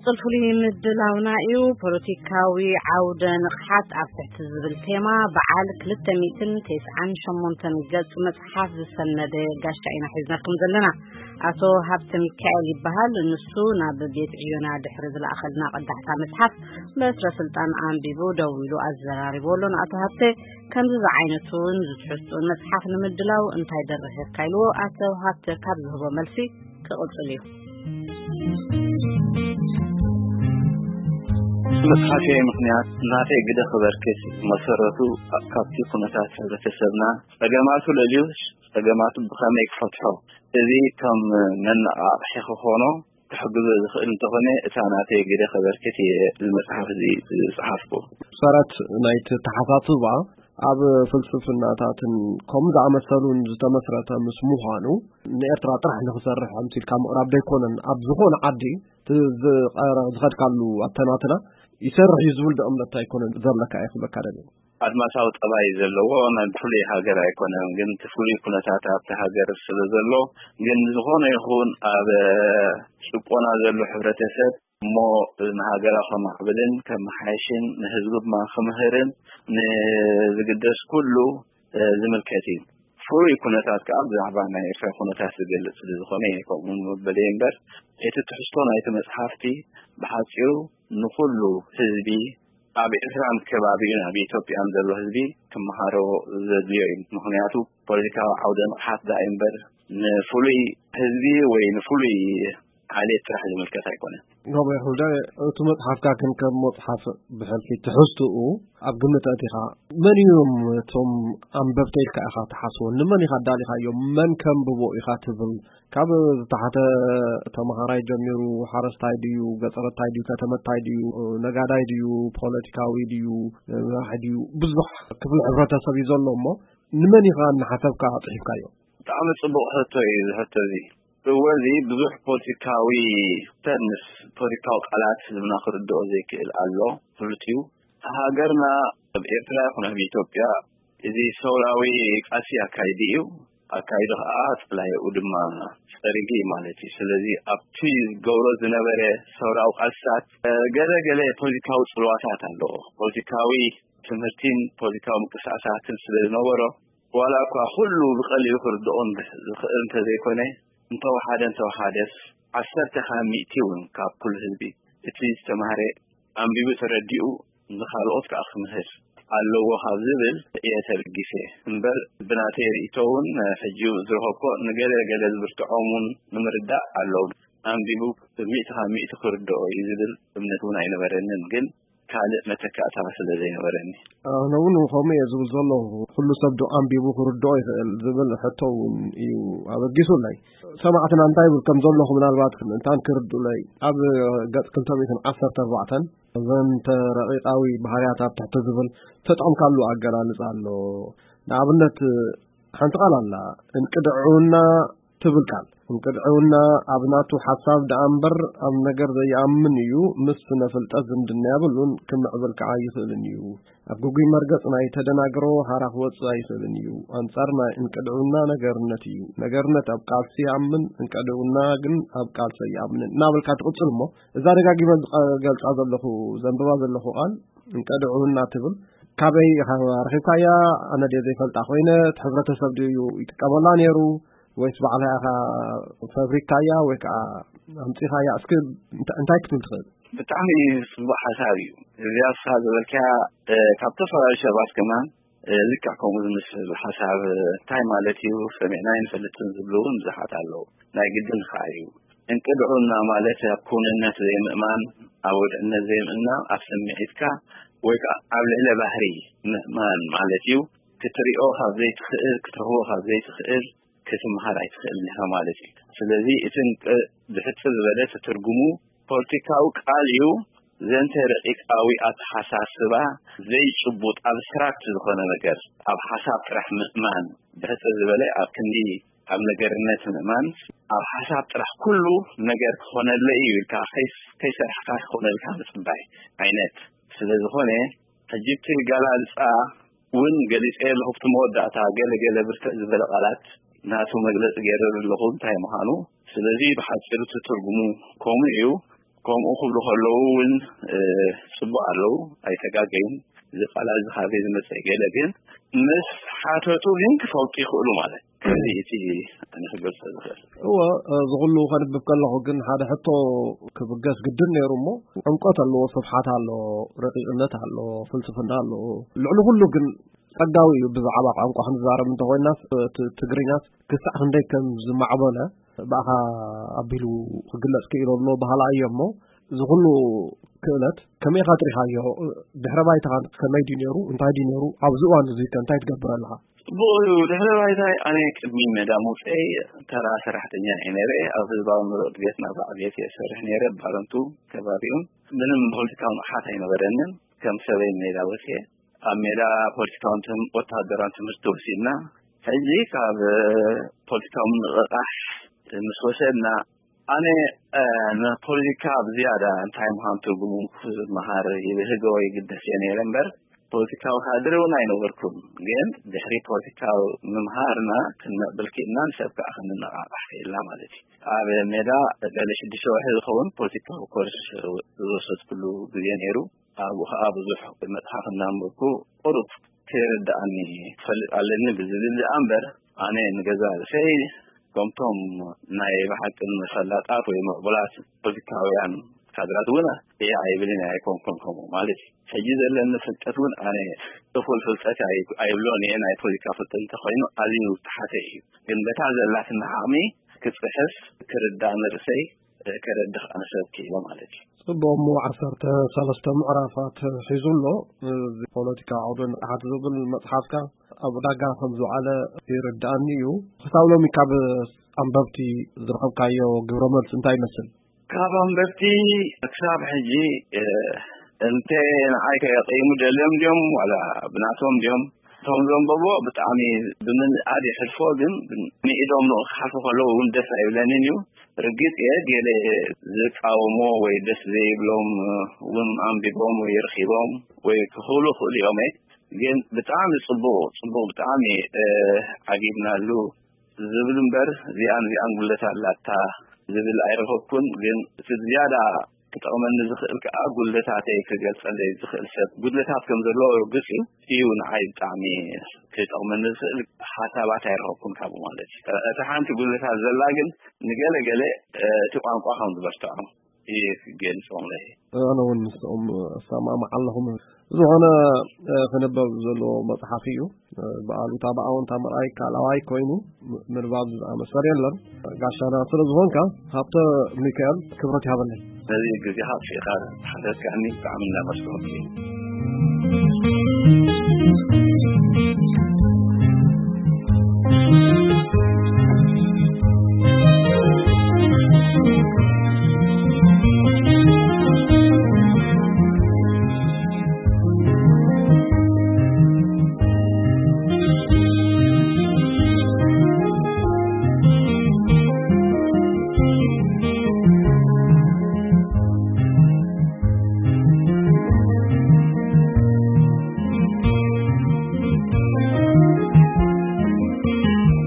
ጽልፉሊ ምድላውና እዩ። ፖለቲካዊ ዓውደ ንቕሓት ኣብ ትሕቲ ዝብል ቴማ በዓል ክልተ ሚእትን ተስዓን ሸሞንተን ገጽ መጽሓፍ ዝሰነደ ጋሻ ኢና ሒዝናኩም ዘለና። ኣቶ ሃብተ ሚካኤል ይበሃል። ንሱ ናብ ቤት ዕዮና ድሕሪ ዝለኣኸልና ቅዳሕታ መጽሓፍ በትረ ስልጣን ኣንቢቡ ደው ኢሉ ኣዘራሪቡ ኣሎ። ንኣቶ ሃብተ ከምዚ ዝዓይነቱን ዝትሕዝቱን መጽሓፍ ንምድላው እንታይ ደረሰካ ኢልዎ፣ ኣቶ ሃብተ ካብ ዝህቦ መልሲ ክቕጽል እዩ። መጽሓፈይ ምኽንያት ናተይ ግደ ክበርክት መሰረቱ ካብቲ ኩነታት ሕብረተሰብና ጸገማቱ ለልዩ ጸገማቱ ብኸመይ ክፈትሖ፣ እዚ ከም መነቓቕሒ ክኾኖ ክሕግዞ ዝኽእል እንተኾነ፣ እታ ናተይ ግደ ከበርክት እየ እዚ መጽሓፍ እዚ ዝጸሓፍኩ። ሰረት ናይቲ ተሓሳስባ ኣብ ፍልስፍናታትን ከምኡ ዝኣመሰሉን ዝተመስረተ ምስ ምዃኑ፣ ንኤርትራ ጥራሕ ንኽሰርሕ ኣምሲልካ ምቕራብ ዘይኮነን፣ ኣብ ዝኾነ ዓዲ እቲ ዝቐረ-፣ ዝኸድካሉ ኣተናትና ይሰርሕ እዩ ዝብል ዶ እምነት ኣይኮነን ዘለካ እየ ክብለካ ደልየ። ኣድማሳዊ ጠባይ ዘለዎ ናይ ፍሉይ ሃገር ኣይኮነን፣ ግን እቲ ፍሉይ ኩነታት ኣብቲ ሃገር ስለ ዘሎ፣ ግን ዝኾነ ይኹን ኣብ ጭቆና ዘሎ ሕብረተሰብ እሞ ንሃገራ ከማዕብልን ከመሓየሽን ንህዝቡ ድማ ክምህርን ንዝግደስ ኩሉ ዝምልከት እዩ። ፍሉይ ኩነታት ከዓ ብዛዕባ ናይ ኤርትራ ኩነታት ዝገልጽ ስለ ዝኾነ እየ ከምኡ መበለይ እምበር፣ እቲ ትሕዝቶ ናይቲ መጽሓፍቲ ብሓጺሩ ንኹሉ ህዝቢ ኣብ ኤርትራን ከባቢኡን ኣብ ኢትዮጵያን ዘሎ ህዝቢ ክመሃሮ ዘድልዮ እዩ። ምኽንያቱ ፖለቲካዊ ዓውደ ንቕሓት ደኣ እምበር ንፍሉይ ህዝቢ ወይ ንፍሉይ ዓሌት ጥራሕ ዝምልከት ኣይኮነን። ጎበይ ሑደ፣ እቲ መጽሓፍካ ግን ከም መጽሓፍ ብሕልፊ ትሕዝትኡ ኣብ ግምት ኣቲኻ፣ መን እዮም እቶም ኣንበብተ ኢልካ ኢኻ ትሓስቦ? ንመን ኢኻ ኣዳሊኻዮም? መን ከንብቦ ኢኻ ትብል? ካብ ዝተሓተ ተመሃራይ ጀሚሩ፣ ሓረስታይ ድዩ፣ ገጠረታይ ድዩ፣ ከተመታይ ድዩ፣ ነጋዳይ ድዩ፣ ፖለቲካዊ ድዩ፣ መራሒ ድዩ፣ ብዙሕ ክፍሊ ሕብረተሰብ እዩ ዘሎ እሞ፣ ንመን ኢኻ እናሓሰብካ ኣጽሒፍካዮ? ብጣዕሚ ጽቡቕ ሕቶ እዩ እዚ ሕቶ እዚ። እወ፣ እዚ ብዙሕ ፖለቲካዊ ተርምስ፣ ፖለቲካዊ ቃላት ህዝብና ክርድኦ ዘይክእል ኣሎ። ፍሉጥ እዩ። ሃገርና ኣብ ኤርትራ ይኹን ኣብ ኢትዮጵያ እዚ ሰውራዊ ቃልሲ ኣካይዲ እዩ። ኣካይዲ ኸዓ ጸላኢኡ ድማ ጸሪጉ እዩ ማለት እዩ። ስለዚ ኣብቲ ዝገብሮ ዝነበረ ሰውራዊ ቃልስታት፣ እ፣ ገለ ገለ ፖለቲካዊ ጽልዋታት ኣለዎ። ፖለቲካዊ ትምህርቲን ፖለቲካዊ ምንቅስቃሳትን ስለ ዝነበሮ፣ ዋላ እኳ ኩሉ ብቐሊሉ ክርድኦን ዝኽእል እንተዘይኮነ፣ እንተወሓደ እንተወሓደስ ዓሰርተ ካብ ሚእቲ እውን ካብ ኩሉ ህዝቢ እቲ ዝተማህረ ኣንቢቡ ተረዲኡ ንኻልኦት ከዓ ክምህር ኣለዎ ካብ ዝብል እየ ተበጊሰ እምበር፣ ብናተይ ርእይቶ እውን ሕጂ ዝረኸብኮ ንገለ ገለ ዝብርትዖም እውን ንምርዳእ ኣለዉ። ኣንቢቡ ሚእቲ ካብ ሚእቲ ክርድኦ እዩ ዝብል እምነት እውን ኣይነበረንን፣ ግን ካልእ መተካእታ ስለ ዘይነበረኒ። ኣነ እውን ከምኡ እየ ዝብል ዘለኹ። ኩሉ ሰብ ዶ ኣንቢቡ ክርድኦ ይኽእል ዝብል ሕቶ እውን እዩ ኣበጊሱለይ። ሰማዕትና እንታይ ይብል ከም ዘለኹ ምናልባት ክንታን ክርድኡለይ። ኣብ ገጽ ክልተ ሚእትን ዓሰርተ ኣርባዕተን እዘን ተረቂቃዊ ባህርያት ኣብ ትሕቲ ዝብል ተጠቕምካሉ ኣገላልጻ ኣሎ። ንኣብነት ሓንቲ ቃል ኣላ፣ እንቅድዕውና ትብል ቃል። እንቅድዕውና ኣብ ናቱ ሓሳብ ደኣ እምበር ኣብ ነገር ዘይኣምን እዩ። ምስ ስነ ፍልጠት ዝምድና የብሉን፣ ክምዕብል ከዓ ኣይኽእልን እዩ። ኣብ ግጉይ መርገጽ ናይ ተደናግሮ ሃራ ክወጽእ ኣይኽእልን እዩ። ኣንጻር ናይ እንቅድዕውና ነገርነት እዩ። ነገርነት ኣብ ቃልሲ ይኣምን፣ እንቅድዕውና ግን ኣብ ቃልሲ ኣይኣምንን እናበልካ ትቕጽል እሞ፣ እዛ ደጋጊመ ዝቐ-፣ ገልጻ ዘለኹ፣ ዘንብባ ዘለኹ ቃል እንቅድዕውና ትብል፣ ካበይ ኢኻ ረኺብካያ? ኣነ ድየ ዘይፈልጣ ኮይነ? እቲ ሕብረተሰብ ድዩ ይጥቀመላ ነይሩ? ወይስ ባዕልኻ ኢኻ ፈብሪካያ ወይ ከዓ ኣምጺኻያ? እስኪ እንታ-፣ እንታይ ክትብል ትኽእል? ብጣዕሚ ጽቡቕ ሓሳብ እዩ። እዚኣ ንስኻ ዝበልካያ፣ እ፣ ካብ ዝተፈላለዩ ሰባት ከማን፣ እ፣ ልክዕ ከምኡ ዝመስል ሓሳብ፣ እ፣ እንታይ ማለት እዩ? ሰሚዕና ኣይንፈልጥን ዝብሉ እውን ብዙሓት ኣለዉ። ናይ ግድን ኸዓ እዩ። እንቅድዑና ማለት ኣብ ክውንነት ዘይምእማን፣ ኣብ ውድዕነት ዘይምእማን፣ ኣብ ስምዒትካ ወይ ከዓ ኣብ ልዕለ ባህሪ ምእማን ማለት እዩ። ክትሪኦ ካብ ዘይትኽእል፣ ክትረኽቦ ካብ ዘይትኽእል፣ ክትምሃር ኣይትኽእልን ኢኻ ማለት እዩ። ስለዚ እቲ እንቅ-፣ ብሕጽር ዝበለ ትትርጉሙ ፖለቲካዊ ቃል እዩ። ዘንተ ረቂቃዊ ኣተሓሳስባ ዘይጭቡጥ ኣብስትራክት ዝኾነ ነገር፣ ኣብ ሓሳብ ጥራሕ ምእማን፣ ብሕጽር ዝበለ ኣብ ክንዲ ኣብ ነገርነት ምእማን፣ ኣብ ሓሳብ ጥራሕ ኩሉ ነገር ክኾነለይ እዩ ኢልካ ከይስ-፣ ከይሰራሕካ ክኾነልካ ምጽባይ ዓይነት ስለ ዝኾነ፣ ሕጂ እቲ ኣገላልጻ እውን ገሊጸ ኣለኹ። ኣብቲ መወዳእታ ገለ ገለ ብርትዕ ዝበለ ቃላት ናቱ መግለጺ ገይረ ኣለኹ እንታይ ምዃኑ። ስለዚ ብሓጺሩ እቲ ትርጉሙ ከምኡ እዩ። ከምኡ ክብሉ ከለዉ እውን ጽቡቅ ኣለዉ፣ ኣይተጋገዩን። እዚ ቃላት እዚ ካበይ ዝመጸ ገለ ግን ምስ ሓተቱ ግን ክፈልጡ ይኽእሉ ማለት እዚ እቲ ኣነ ክገልጸ ዝኽእል። እወ፣ እዚ ኩሉ ከንብብ ከለኹ ግን ሓደ ሕቶ ክብገስ ግድን ነይሩ እሞ፣ ዕምቆት ኣለዎ፣ ስፍሓት ኣለዎ፣ ረቂቕነት ኣለዎ፣ ፍልስፍና ኣለዎ። ልዕሊ ኩሉ ግን ጸጋዊ እዩ። ብዛዕባ ቋንቋ ክንዛረብ እንተኾይናስ፣ እቲ ትግርኛስ ክሳዕ ክንደይ ከም ዝማዕበለ ብኣኻ ኣቢሉ ክግለጽ ክኢሉ ኣሎ በሃላ እየ እሞ፣ እዚ ኩሉ ክእለት ከመይ ኢኻ ትሪኻዮ? ድሕረ ባይታኻ ከመይ ድዩ ነይሩ? እንታይ ድዩ ነይሩ? ኣብዚ እዋን እዚ ከ እንታይ ትገብር ኣለኻ? ጽቡቕ እዩ። ድሕረ ባይታይ ኣነ ቅድሚ ሜዳ ምውጸይ ተራ ሰራሕተኛ እየ ነይረ። ኣብ ህዝባዊ ምርኢት ቤት ናብራ ዕብየት እየ ዝሰርሕ ነይረ። ባረንቱ ከባቢኡን ምንም ፖለቲካዊ ንቕሓት ኣይነበረንን። ከም ሰበይ ሜዳ ወጽየ ኣብ ሜዳ ፖለቲካውን ትም-፣ ወተሃደራውን ትምህርቲ ወሲድና። ሕጂ ካብ ፖለቲካዊ ምንቕቓሕ ምስ ወሰድና ኣነ፣ እ፣ ንፖለቲካ ብዝያዳ እንታይ ምዃኑ ትርጉሙ ክመሃር ይብህጎ ይግደስ እየ ነይረ እምበር፣ ፖለቲካዊ ካድረ እውን ኣይነበርኩን። ግን ድሕሪ ፖለቲካዊ ምምሃርና ክንምዕብል ክኢልና፣ ንሰብ ከዓ ክንነቓቓሕ ክኢልና ማለት እዩ። ኣብ ሜዳ ልዕሊ ሽዱሽተ ወርሒ ዝኸውን ፖለቲካዊ ኮርስ ዝወሰድኩሉ ግዜ ነይሩ። ኣብኡ ከዓ ብዙሕ መጽሓፍ እናንበብኩ ቁሩብ ከይርድኣኒ ክፈልጥ ኣለኒ ብዝብል ደኣ እምበር፣ ኣነ ንገዛ ርእሰይ ከምቶም ናይ ብሓቂ ፈላጣት ወይ ምዕቡላት ፖለቲካውያን ካድራት እውን እየ ኣይብልን እየ፣ ኣይኮንኩን ከምኡ ማለት እዩ። ሕጂ ዘለኒ ፍልጠት እውን ኣነ እኹል ፍልጠት ኣይ-፣ ኣይብሎን እየ። ናይ ፖለቲካ ፍልጠት እንተኾይኑ ኣዝዩ ዝተሓተ እዩ። ግን በታ ዘላትና ዓቕሚ ክጽሕፍ፣ ክርዳእ ንርእሰይ፣ ከረድእ ኣነ ሰብ ክኢለ ማለት እዩ። ጽቡቕ፣ እሞ ዓሰርተ ሰለስተ ምዕራፋት ሒዙ ኣሎ። እዚ ፖለቲካ ዓውደ ንቕሓት ዝብል መጽሓፍካ ኣብ ዕዳጋ ከም ዝወዓለ ይርድኣኒ እዩ። ክሳብ ሎሚ ካብ ኣንበብቲ ዝረኸብካዮ ግብረ መልሲ እንታይ ይመስል? ካብ ኣንበብቲ ክሳብ ሕጂ፣ እ፣ እንተ ንዓይ ከየቀይሙ ደልዮም ድዮም ዋላ ብናቶም ድዮም፣ እቶም ዘንበብዎ ብጣዕሚ ብምንኣድ የሕልፎ፣ ግን ንኢዶም ንኡ ክሓልፉ ከለዉ እውን ደስ ኣይብለንን እዩ። ርግጽ እየ፣ ገለ ዝቃወሞ ወይ ደስ ዘይብሎም እውን ኣንቢቦም ወይ ረኺቦም ወይ ክኽእሉ ይኽእሉ እዮም። ግን ብጣዕሚ ጽቡቕ፣ ጽቡቕ ብጣዕሚ፣ እ፣ ዓጊብናሉ ዝብል እምበር፣ እዚኣን እዚኣን ጉድለት ኣላታ ዝብል ኣይረኸብኩን። ግን እቲ ዝያዳ ክጠቕመኒ ዝኽእል ከኣ፣ ጉድለታተይ ክገልጸለይ ዝኽእል ሰብ ጉድለታት ከም ዘለዎ ርግጽ እዩ። እዩ ንዓይ ብጣዕሚ ክጠቕመኒ ዝኽእል ሓሳባት ኣይረኸብኩን ካብኡ ማለት እዩ። እታ ሓንቲ ጉድለታት ዘላ ግን፣ ንገለ ገለ፣ እ፣ እቲ ቋንቋ ከም ዝበርትዖ እየ ክገልጾም ለይ። ኣነ እውን ምስኦም እሰማማዕ ኣለኹ። ዝኾነ፣ እ፣ ክንበብ ዘለዎ መጽሓፍ እዩ። እ፣ ብኣሉታ ብኣወንታ ምርኣይ ካልኣዋይ ኮይኑ፣ ም-፣ ምንባብ ዝኣመሰል የለን። ጋሻና ስለ ዝኾንካ፣ ሃብተ ሚካኤል፣ ክብረት ይሃበለይ። ነዚ ግዜኻ ኣውጺእካ ሓተትካኒ ብጣዕሚ እናመስገንኩ እየ።